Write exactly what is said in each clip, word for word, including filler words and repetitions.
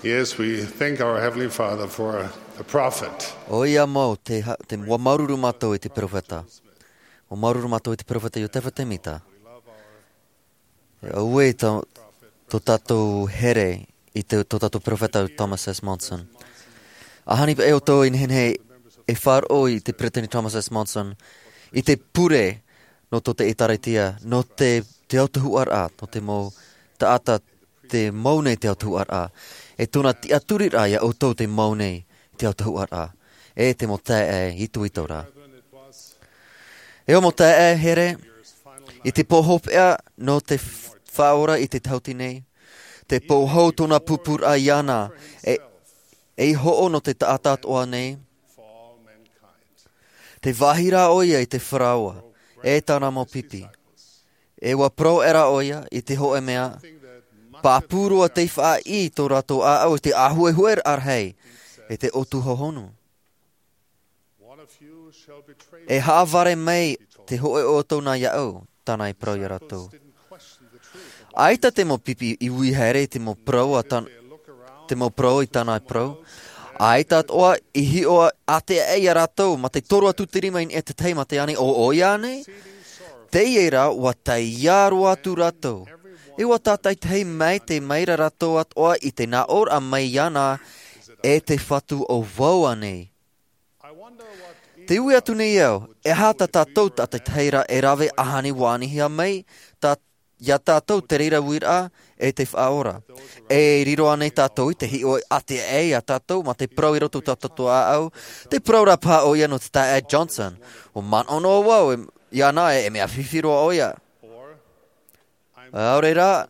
Yes, we thank our Heavenly Father for the prophet. ʻOia mau, te, ha- te, ʻua māuruuru mātou i te peropheta. ʻUa māuruuru mātou i te peropheta Iotefa Temita. E auē tō, tō tātou here i te, tō tātou peropheta Thomas S. Monson. ʻAhani paʻi ʻoutou i nehenehe e faʻaroʻo i te peresideni Thomas S. Monson, i te pure nō tō te ʻĒtārētia, nō te, te autahuʻaraʻa, nō te mau taʻata te mau nei te autahuʻaraʻa. E tōna tiʻaturiraʻa ia ʻoutou te mau nei te autahuʻaraʻa. E te mau taeaʻe itoito ra. E ʻo mau taeaʻe here, i te pō hopeʻa nō te f- faʻaora i te tahuti nei, te pō hou tōna pūpūraʻa iāna, e, e hoʻo nō te taʻata atoʻa nei, te vāhi rā ʻoia i te faraoa, e tāna mau pipi. E ʻua parau ʻē rā ʻoia i te hōʻē mea, pāpū roa tei faʻaʻī tō rātou ʻāʻau i te ʻāhuehue rahi, e te ʻōtu hohonu. E haʻavare mai te hōʻē o ʻoutou nā iāʻu, tāna i parau ia rātou. ʻAita te mau pipi i ui haere i te mau parau a tan- te mau parau i tāna i parau. ʻAita atoʻa i hiʻo ʻātea ia rātou, mā te toru atu te rima i niʻa i te tahi mā te ani, ʻo ʻoia nei? Teie rā, ʻua taiā roa atu rātou. E ʻua tātaitahi mai te maira rātou atoʻa i te nāʻōraʻa mai iāna, e te Fatu ʻo vau ānei? Te ui atu nei au, e aha tā tātou tātaitahi ra e rave ʻahanihia mai, tā, ia tātou te reira uiraʻa, e te faʻaora. E riro ānei tātou i te hiʻo ʻātea ia tātou, mā te parau i roto tā tātou ʻāʻau, te parau rā paha ʻoia nō te taeaʻe Johnson, ʻua manaʻo noa vau, e, iāna e, e mea fifi roa ʻoia. ʻAore rā,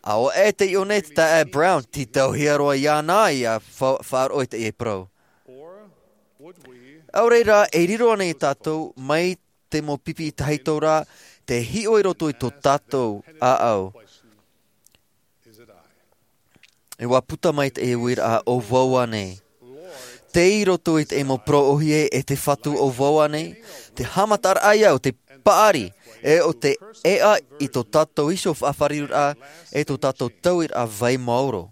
ʻaore e te iʻo nei te taeaʻe Brown, tītauhia roa iāna ia fa- faʻaroʻo i teie parau. ʻAore rā, e riro ānei tātou mai te mau pipi tahito rā, te hiʻo i roto i tō tātou ʻāʻau. E ʻua puta mai te uiraʻa ʻo vau ānei. Tei roto i te mau parau ʻōhie e te Fatu ʻo vau ānei, te haʻamataraʻa ia o te paʻari, e o te ʻēʻa i tō tātou iho faʻafāriuraʻa, e tō tātou tauiraʻa vai maoro.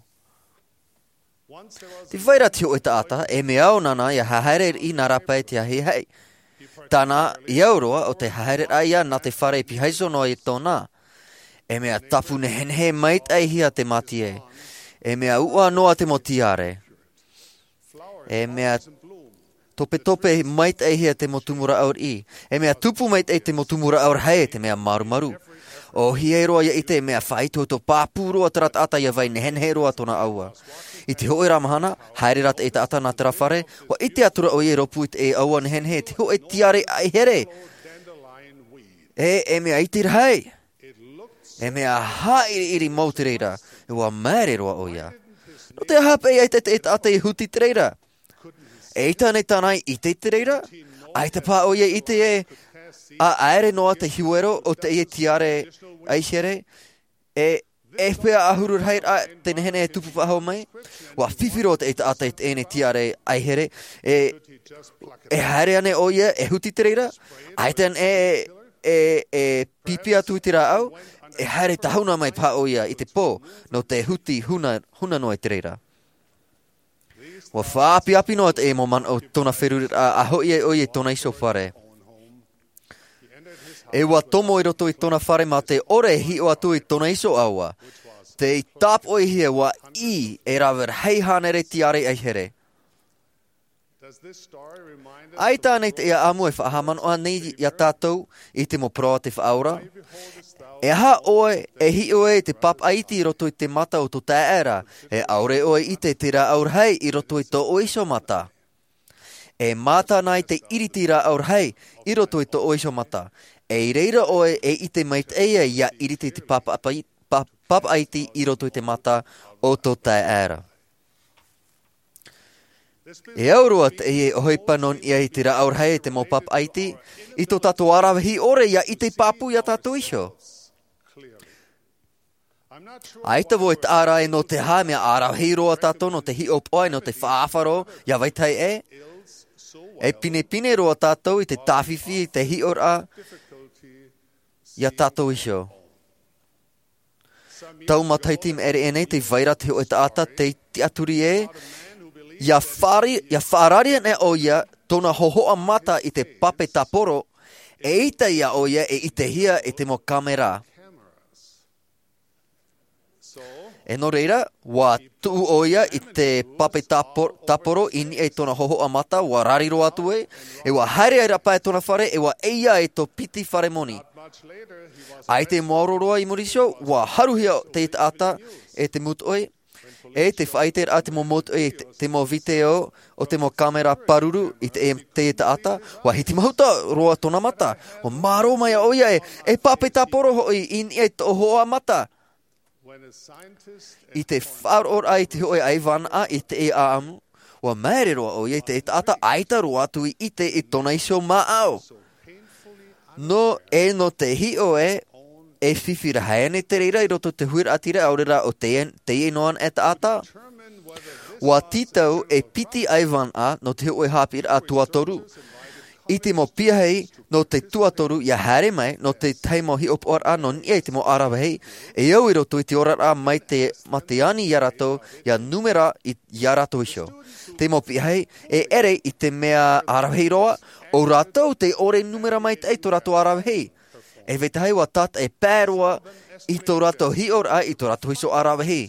Tē vai ra te hōʻē taʻata, e mea au nāna ia haere i nā rāpae i te ahiahi. Tāna i au roa ʻo te haereraʻa ia nā te fare i pīhaʻi iho noa i tōna. E mea tapu nehenehe maitaʻihia te mātie. E mea uʻa noa te mau tiare. E mea topetope maitaʻihia te mau tumu rāʻau riʻi. E mea tupu maitaʻi te mau tumu rāʻau rahi e te mea marumaru. ʻŌhie roa ia ʻite e mea faʻaitoito pāpū roa terā taʻata ia vai nehenehe roa tōna ʻaua. I te hōʻē rā mahana, haere rā te taʻata nā terā fare, ʻua ʻite atu ra ʻoia i rōpū i te ʻaua nehenehe, te hōʻē tiare ʻaihere. E, e mea iti rahi. E mea haʻiriʻiri mau te reira, e ʻua māere roa ʻoia. Nō te aha paʻi ʻaita te taʻata i huti te reira? ʻAita nei tāna i ʻite i te reira? ʻAita paha ʻoia i ʻite ē, ʻaʻaere noa te hiero o teie tiare ʻaihere, e, e pea ʻahuru rahi rā te nehenehe e tupu faʻahou mai? ʻUa fifi roa te taʻata i teie tiare ʻaihere, e, e haere ānei ʻoia, e huti te reira? ʻAita ānei e, e, e pipi atu i te rāʻau, e haere tahuna mai paha ʻoia i te pō, nō te huti huna, huna noa i te reira. ʻUa faʻaʻapiʻapi noa te mau manaʻo tōna feruriraʻa a hoʻi ai ʻoia i tōna iho fare. E ʻua tomo i roto i tōna fare mā te ʻore e hiʻo atu i tōna iho ʻaua. Tei tāpoʻihia ʻua ʻī e rave rahi hānere tiare ʻaihere. ʻAita ānei teie ʻāmu e faʻahaʻamanaʻo nei ia tātou i te mau parau a te Faʻaora? E aha ʻoe e hiʻo ai i te pāpaʻa iti i roto i te mata o tō taeaʻe ra, e ʻaore ʻoe e ʻite i te rāʻau rahi i roto i tō ʻoe iho mata? E mātā na i te ʻiriti rāʻau rahi i roto i tō ʻoe iho mata. E i reira ʻoe e ʻite maitaʻi ia ʻiriti i te pāpaʻa pai-, pā-, pāpaʻa iti i roto i te mata o tō taeaʻe ra. E au roa teie ʻohipa nō niʻa i te rāʻau rahi e te mau pāpaʻa iti, i tō tātou aravihi ʻore ia ʻite pāpū ia tātou iho. ʻAita vau e taʻa ra e nō te aha mea aravihi roa tātou nō te hiʻopoʻa e nō te faʻaʻāfaro ia vetahi ʻē. E pinepine roa tātou i te tāfifi i te hiʻoraʻa ia tātou iho. tau matahiti i maʻiri aʻe nei, tē vai ra te hōʻē taʻata tei tiʻaturi ē, ia faʻari-, ia faʻarari ana ʻoia tōna hōhoʻa mata i te pape tāporo, eʻita ïa ʻoia e ʻitehia e te mau kāmera. E nō reira, ʻua tuʻu ʻoia i te pape tāpo-, tāporo i niʻa i tōna hōhoʻa mata, ʻua rari roa atu ē, e ʻua haere aʻera paʻi i tōna fare, e ʻua ʻeiā e tō piti fare moni. ʻAita e maoro roa i muri iho, ʻua haruhia te taʻata e te mūtoʻi, e tē faʻaʻite ra te mau mūtoʻi, te, te mau vīteo o te mau kāmera pāruru i te, te taʻata, ʻua hitimahuta roa tōna mata, ʻua mārō mai ʻoia ē, e pape tāporo hoʻi i niʻa i tō hōhoʻa mata. I te faʻaroʻoraʻa i te hōʻē ʻaivānaʻa i te ʻāʻamu, ʻua māere roa ʻoia i te taʻata ʻaita roa atu i ʻite i tōna iho māʻau. Nō, e nō te hiʻo ē, e fifi rahi ana te reira i roto i te huiraʻatira, ʻaore rā ʻo te, teie noa anaʻe taʻata. ʻUa tītau e piti ʻaivānaʻa nō te hōʻē haʻapiʻiraʻa tuatoru. I te mau piahi nō te tuatoru ʻia haere mai, nō te tahi mau hiʻopoʻaraʻa nō niʻa i te mau ʻaravihi, e au i roto i te oraraʻa mai te, mā te ani ia rātou, ʻia nūmera i, ia rātou iho. Te mau piahi, e ʻere i te mea ʻaravihi roa, ʻo rātou tē ʻore nūmera maitaʻi tō rātou ʻaravihi. E vetahi ʻua tātaʻi pae roa i tō rātou hiʻoraʻa i tō rātou iho ʻaravihi.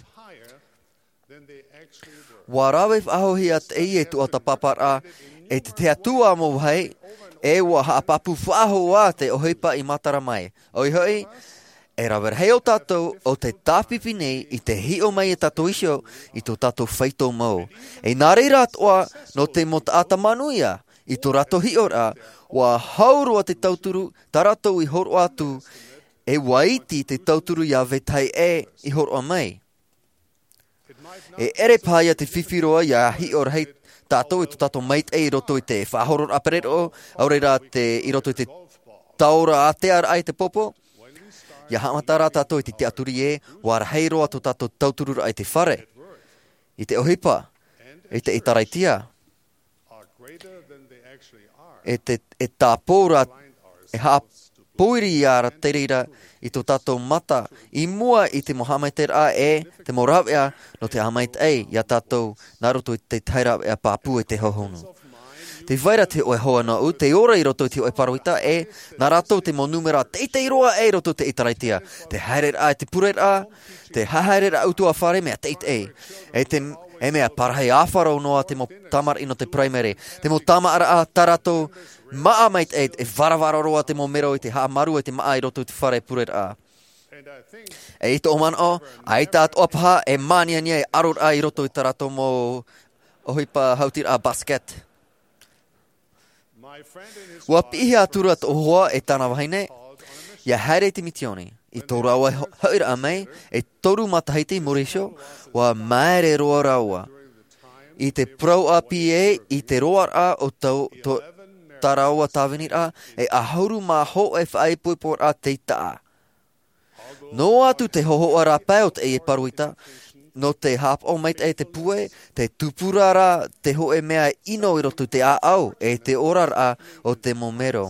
ʻUa rave faʻahouhia teie tuatāpaparaʻa, e te tahi atu ā mau vāhi, e ʻua haʻapāpū faʻahou ā te ʻohipa i matara mai. ʻOia hoʻi, e rave rahi ō tātou ʻo tē tāpipi nei i te hiʻo mai ia tātou iho i tō tātou faito mau. E nā reira atoʻa, nō te mau taʻata manuia, i tō rātou hiʻoraʻa, ʻua hau roa te tauturu, tā rātou i hōroʻa atu, e ʻua iti te tauturu ia vetahi ʻē i hōroʻa mai. E ʻere paha ïa te fifi roa ʻia hiʻo rahi tātou i tō tātou maitaʻi i roto i te faʻahororaʻa pereroʻo, ʻaore rā te, i roto i te taora ātea raʻa i te pōpō. ʻIa haʻamata rā tātou i te tiʻaturi ē, ʻua rahi roa tō tātou tautururaʻa i te fare, i te ʻohipa, i te ʻĒtārētia. E te, e tāpō ra, e haʻapōiri ia ra te reira i tō tātou mata, i mua i te mau haʻamaitaʻiraʻa e te mau rāveʻa nō te haʻamaitaʻi ia tātou nā roto i te tahi rāveʻa pāpū e te hōhonu. Tē vai ra te hōʻē hoa nōʻu, tē ora i roto i te hōʻē pāroita e, nā rātou te mau nūmera teitei roa e i roto i te ʻĒtārētia. Te haereraʻa i te pureraʻa, te haereraʻa ʻutuāfare mea teitei. E te, e mea parahi āfaro noa te mau tamariʻi nō te paraimere. Te mau tamariʻi tā rātou māʻa maitaʻi, e varavara roa te mau mero i te haʻamaru e te māʻa i roto i te fare pureraʻa. E i tōʻu manaʻo, ʻaita atoʻa paha e māniania e ʻaroraʻa i roto i tā rātou mau ʻohipa hautiraʻa basket. ʻUa piʻihia atura tōʻu hoa e tāna vahine, ʻia haere i te mitioni. I tō rāua ho-, hoʻiraʻa mai, e toru matahiti i muri iho, ʻua māere roa rāua. I te parau ʻāpī ē, i te roaraʻa o tau, tō, tā rāua tāviniraʻa, e ʻahuru mā hōʻē faʻaipoiporaʻa tei taʻa. Noa atu te hōhoʻa rāpae o teie pāroita, nō te haʻapaʻo maitaʻi te pūai, te tupuraʻa te hōʻē mea ʻino i roto i te ʻāʻau, e te oraraʻa o te mau mero.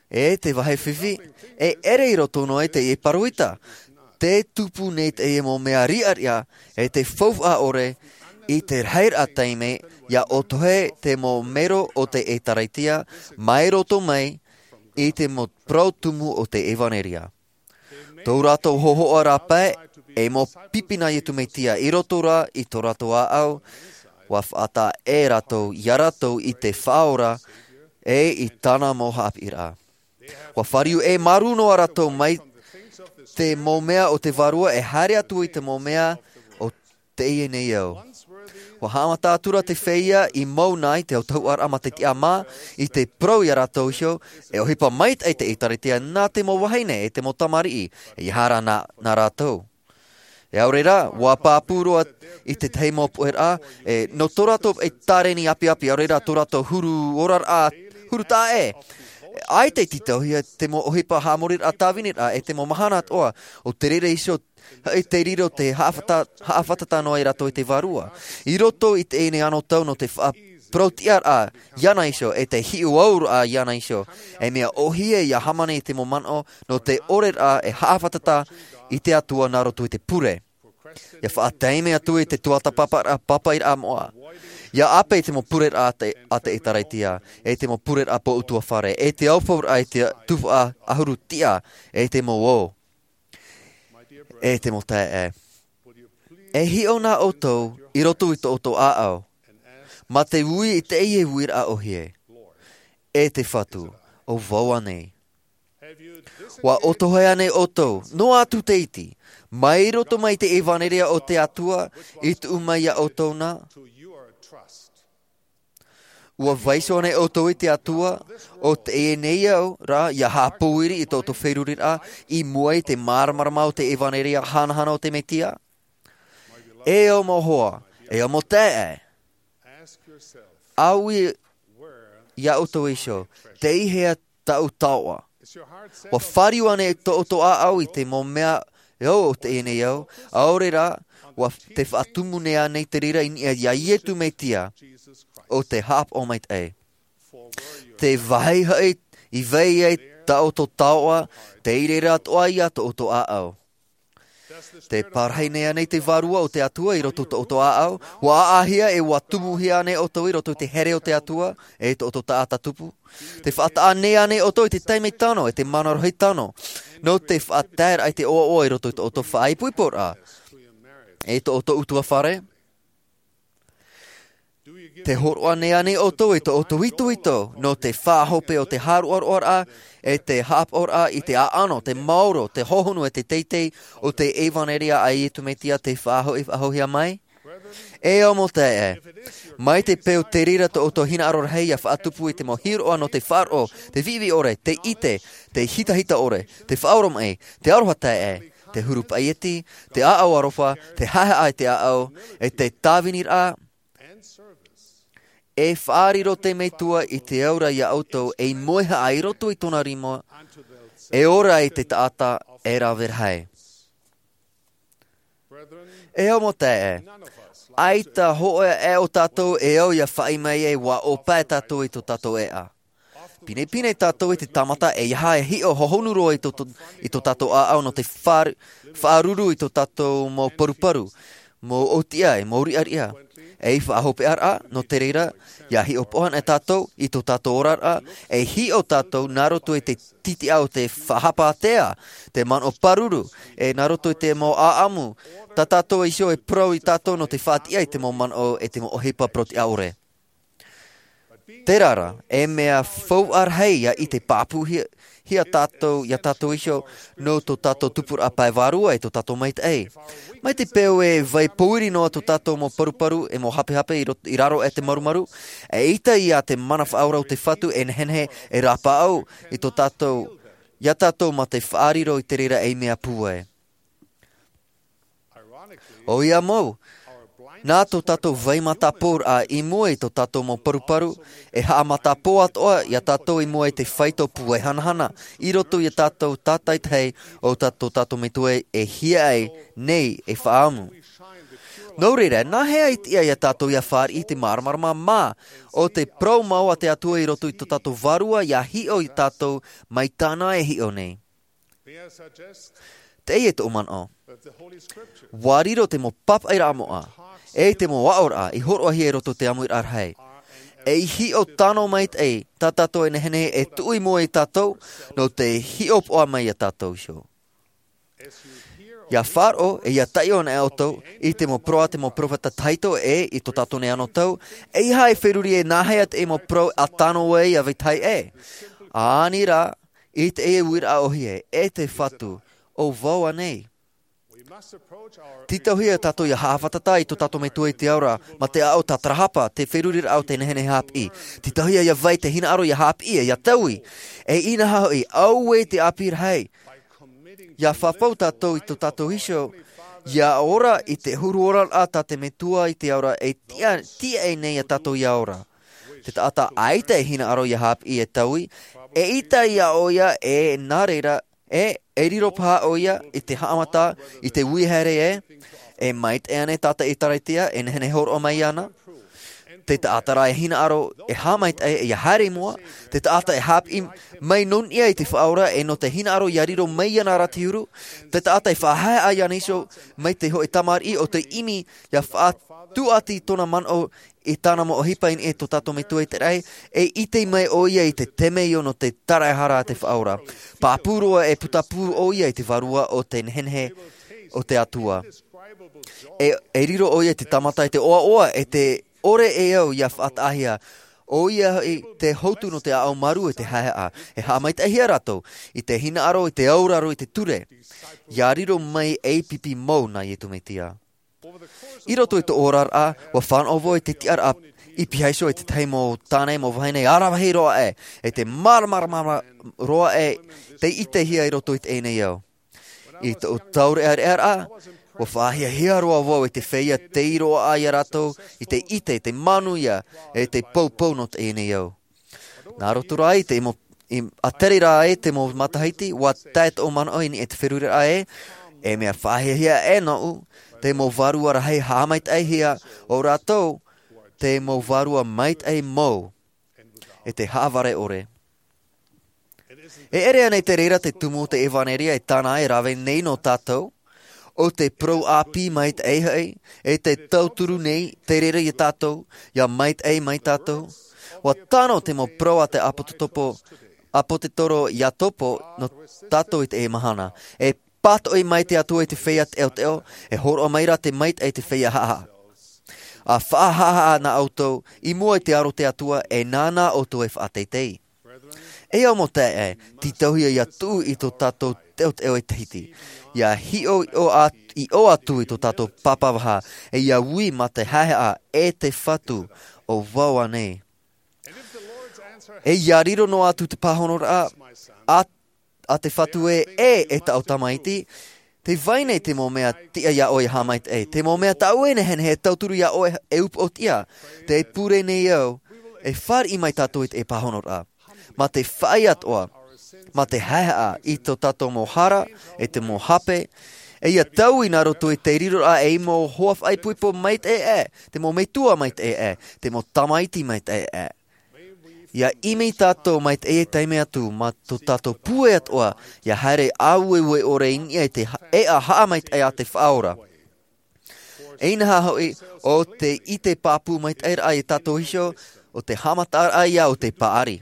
E te vāhi fifi, e ʻere i roto noa i teie pāroita, tē tupu nei teie mau mea riʻariʻa, e te faufaʻa ʻore, i te rahiraʻa taime, ʻia ʻotohe te mau mero o te ʻĒtārētia, mai roto mai, i te mau parau tumu o te ʻevanelia. Tō rātou hōhoʻa rāpae, e mau pipi nā Iesu Mesia, i roto rā, i tō rātou ʻāʻau, ʻua faʻataʻa e rātou, ia rātou i te Faʻaora, e i tāna mau haʻapiʻiraʻa. ʻUa fāriu e māuruuru noa rātou mai te mau mea o te vārua e haere atu i te mau mea o teie nei ao. ʻUa haʻamata atura te feiā i mau nei te autahuʻaraʻa mā te tiʻamā, i te parau ia rātou iho, e ʻohipa maitaʻi te ʻĒtārētia nā te mau vahine e te mau tamariʻi, e ʻeiaha rā nā, nā rātou. E ʻaore rā, ʻua pāpū roa i te tahi mau puʻeraʻa, e, nō tō rātou e tāreni ʻāpiʻāpī, ʻaore rā tō rātou huru oraraʻa, huru taʻa ē. ʻAita i tītauhia te mau ʻohipa haʻamoriraʻa tāviniraʻa, e te mau mahana atoʻa, ʻo te reira iho, e te riro te haʻafata-, haʻafātata noa ia rātou i te vārua. I roto i teie nei anotau nō te faʻa-, parau-tiʻaraʻa iāna iho, e te hiʻo-au-raʻa iāna iho. E mea ʻōhie ia hāmani i te mau manaʻo nō te ʻore raʻa e haʻafātata i te Atua nā roto i te pure. Ia faʻataime atu i te tuatāpaparaʻa pāpaʻiraʻa moʻa. Ia ʻāpe i te mau pureraʻa a te, a te ʻĒtārētia, e te mau pureraʻa pōʻutuāfare, e te aufauraʻa i te tuhaʻa ʻahuru tiʻa, e te mau ō. E te mau taeaʻe, e hiʻo nā ʻoutou i roto i tō ʻoutou ʻāʻau, mā te ui i teie uiraʻa ʻōhie, e te Fatu, ʻo vau ānei? ʻUa ʻotohia ānei ʻoutou, noa atu te iti, mai roto mai i te ʻevanelia o te Atua i tuʻu mai iā ʻoutou na? ʻUa vaiiho ānei ʻoutou i te Atua, ʻo teie nei au rā, ia haʻapōiri i tō ʻoutou feruriraʻa i mua i te māramarama o te ʻevanelia hanahana o te Mesia? E au mau hoa, e au mau taeaʻe, ʻaui iā ʻoutou iho, tei hea taʻu taoʻa? ʻUa fāriu ānei tō ʻoutou ʻāʻau i te mau mea ʻo teie nei au, ʻaore rā, ʻua te faʻatumu nei ānei te reira i niʻa iā Iesu Mesia, ʻo te Haʻapaʻo maitaʻi? Te vāhi hoʻi i vai ai tā ʻoutou taoʻa, tei reira atoʻa ia tō ʻoutou ʻāʻau. Te parahi nei ānei te Vārua o te Atua i roto i tō ʻoutou ʻāʻau? ʻUa ʻāʻāhia e ʻua tumuhia ānei ʻoutou i roto i te here o te Atua, e tō ʻoutou taʻata tupu? Te faʻataʻa nei ānei ʻoutou i te taime tano, e te mana rohi tano, nō te faʻataeraʻa i te ʻoaʻoa i roto i tō ʻoutou faʻaipoiporaʻa, e tō ʻoutou ʻutuāfare? Te hōroʻa nei ānei ʻoutou i tō ʻoutou itoito, nō te faʻahope o te haʻaroʻaroʻaraʻa, e te haʻapaʻoraʻa i te ʻāʻano, te maoro, te hohonu, e te teitei o te ʻevanelia a Iesu Mesia tei faʻahoʻi, faʻahoʻihia mai? E au mau taeaʻe, mai te peu te reira tō ʻoutou hinaʻaro rahi ia faʻatupu i te mau hiroʻa nō te faʻaroʻo, te viʻiviʻi ʻore, te ʻite, te hitahita ʻore, te faʻaoromaʻi, te aroha taeaʻe, te huru paʻieti, te ʻāʻau aroha, te haʻehaʻa i te ʻāʻau, e te tāviniraʻa, e faʻariro te Metua i te aura iā ʻoutou ei moehaʻa i roto i tōna rima, e ora ai te taʻata e rave rahi. E au mau taeaʻe, ʻaita hōʻē aʻe o tātou e au ia faʻaʻī mai ai ʻua ʻōpae tātou i tō tātou ʻēʻa. Pinepine tātou i te tāmata e ʻeiaha e hiʻo hohonu roa i tō, tō, i tō tātou ʻāʻau nō te faʻa-, faʻaruru i tō tātou mau paruparu, mau ʻōtiʻa, e mau riʻariʻa. Ei faʻahopeʻaraʻa, nō te reira, ia hiʻopoʻa anaʻe tātou i tō tātou oraraʻa, e hiʻo tātou nā roto i te tītiʻa o te faʻahapa ātea, te manaʻo pāruru, e nā roto i te mau ʻāʻamu, tā tātou iho e parau iā tātou nō te faʻatiʻa i te mau manaʻo e te mau ʻohipa parau-tiʻa ʻore. Terā rā, e mea faufaʻa rahi ia ʻite pāpūhia, hia tātou, iā tātou iho, nō tō tātou tupuraʻa pae vārua e tō tātou maitaʻi. Mai te peu e vai pōiri noa tō tātou mau paruparu e mau hapehape i rot-, i raro aʻe i te marumaru, eʻita ia te mana faʻaora o te Fatu e nehenehe e rāpaʻau i tō tātou, iā tātou mā te faʻariro i te reira ei mea pūai. ʻOia mau, nā tō tātou vai mataporaʻa i mua i tō tātou mau paruparu, e haʻamatapoʻa atoʻa iā tātou i mua i te faito pūai hanahana, i roto iā tātou tātaitahi o tā tō tātou Metua e hiaʻai nei e faʻaamu. Nō reira, nā hea e tiʻa iā tātou ia fāriʻi i te māramarama mā, ʻo te parau mau a te Atua i roto i tō tātou vārua ia hiʻo iā tātou mai tāna e hiʻo nei? Teie tōʻu manaʻo. ʻUa riro te mau pāpaʻiraʻa moʻa, e te mau aʻoraʻa i hōroʻahia i roto i te ʻāmuiraʻa rahi, ei hiʻo tano maitaʻi tā tātou e nehenehe e tuʻu i mua iā tātou, nō te hiʻopoʻa mai iā tātou iho. Ia faʻaroʻo, e ia taiʻo anaʻe ʻoutou i te mau parau a te mau peropheta tahito ʻe i tō tātou nei anotau, ʻeiaha e feruri e nā hea te mau parau ʻa tano ai iā vetahi ʻē. ʻĀnei rā, i teie uiraʻa ʻōhie, e te Fatu, ʻo vau ānei? Tītauhia tātou ia haʻafātata i tō tātou Metua i te ao ra, mā te aʻo tātarahapa, te feruriraʻa o te nehenehe haʻapiʻi. Tītauhia ia vai te hinaʻaro ia haʻapiʻi, ia taui. E inaha hoʻi, auē te ʻāpī rahi. Ia fafau tātou i tō tātou iho, ia ora i te huru oraraʻa tā te Metua i te ao ra e tiʻa, tiʻa nei iā tātou ia ora. Te taʻata ʻaita e hinaʻaro ia haʻapiʻi e taui, eʻita ia ʻoia e nā reira, e, e riro paha ʻoia i te haʻamata, i te ui haere ē, e maitaʻi ānei tā te ʻĒtārētia e nehenehe e hōroʻa mai iāna? Te taʻata rā e hinaʻaro e haʻamaitaʻi ia haere i mua. Te taʻata e hāpiʻi mai nō niʻa i te faʻaora e nō te hinaʻaro ia riro mai iāna rā te huru. Te taʻata e faʻahaehaʻa iāna iho mai te hoʻe tamariʻi o te ʻimi ia faʻatuʻati tōna manaʻo i tāna mau ʻohipa i niʻa i tō tātou Metua i te raʻi. E ʻite mai ʻoia i te temeio nō te taraehara a te faʻaora. Pāpū roa e putapū ʻoia i te vārua o te nehenehe o te Atua. E riro ʻoia i te tāmata i te ʻoaʻoa e te ʻore e au ia faʻataʻahia. ʻOia hoʻi te hotu nō te ʻaʻau marū e te haehaʻa. E haʻamaitaʻihia rātou i te hinaʻaro i te auraro i te ture ia riro mai ei pipi mau nā iesu mesia. I roto i tō oraraʻa ua fānaʻo vau i te tiʻaraʻa i pīhaʻi iho i tētahi mau tāne mau vahine aravihi roa aʻe e te māramarama roa aʻe te ʻitehia i roto i teie nei ao. I tōʻu taureʻareʻaraʻa ua faʻahiahia roa vau i te feiā tei roaʻa iā rātou i te ʻite i te manuia e te poupou nō teie nei ao. Nā roto rā i te mau ʻātere rā e te mau matahiti ua tae tōʻu manaʻo i niʻa i te feruriraʻa e e mea faʻahiahia e nōʻu te mau vārua rahi haʻamaitaʻihia o rātou te mau vārua maitaʻi mau e te haʻavare ʻore. E ʻere ana i te reira te tumu o te ʻevanelia e tāna e rave nei nō tātou o te parau ʻāpī maitaʻi hoʻi e te tauturu nei te reira iā tātou ia maitaʻi mai tātou. Ua tano te mau parau a te ʻāpōsetolo iakobo nō tātou i teie mahana. E pātoʻi mai te atua i te feiā teʻoteʻo e hōroʻa mai rā te maitaʻi i te feiā haʻahaʻa. A faʻahaʻahaʻa nā ʻoutou i mua i te aro o te atua e nāna ʻoutou e faʻateitei. E au mau taeaʻe, tītauhia ia tuʻu i tō tātou teʻoteʻo e tahiti ia hiʻo i ʻō atu i tō tātou pāpā vaha e ia ui mā te haehaʻa e te fatu. O vau anei? E ia riro noa atu te pāhonoraʻa a te fatu e e e taʻu tamaiti, te vai nei te mau mea tiʻa iā ʻoe e haʻamaitaʻi te mau mea tāʻu e nehenehe e tauturu iā ʻoe e upoʻotiʻa. Te pure nei au e fāriʻi mai tātou i te pāhonoraʻa mā te faʻaʻite atoʻa mā te haehaʻa i tō tātou mau hara e te mau hape e ia taui nā roto i te riroraʻa ei mau hoa faʻaipoipo maitaʻi aʻe te mau metua maitaʻi aʻe te mau tamaiti maitaʻi aʻe. Ia ʻimi tātou mai te ʻeʻa taime atu mā tō tātou pūai atoʻa ia haere ʻāueue ʻore i niʻa i te ʻeʻa haʻamaitaʻi a te faʻaora. Inaha hoʻi o te ʻite pāpū maitaʻi raʻa iā tātou iho o te haʻamataʻaraʻa ia o te paʻari.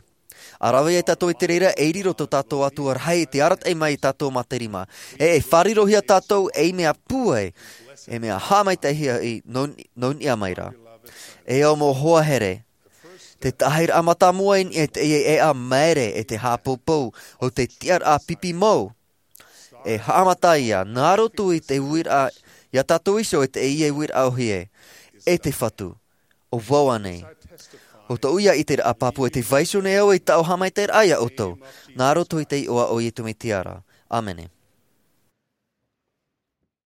A rave ai tātou i te reira e riro tō tātou atua rahi i te arataʻi mai iā tātou mā te rima e e fārirohia tātou ei mea pūai e mea haʻamaitaʻihia hoʻi nō niʻa mai rā. E au mau hoa here, te tahi raʻa mātāmua i niʻa i teie ʻeʻa maere e te haʻapoupou o te tiʻaraʻa pipi mau. E haʻamata ia nā roto i te uiraʻa iā tātou iho e teie uiraʻa ʻohie e te fatu. O vau anei? O tōʻu ia ʻiteraʻa pāpū e te vaiiho nei au i taʻu haʻamaitaʻiraʻa iā ʻoutou nā roto i te iʻoa o iesu mesia. ʻĀmene.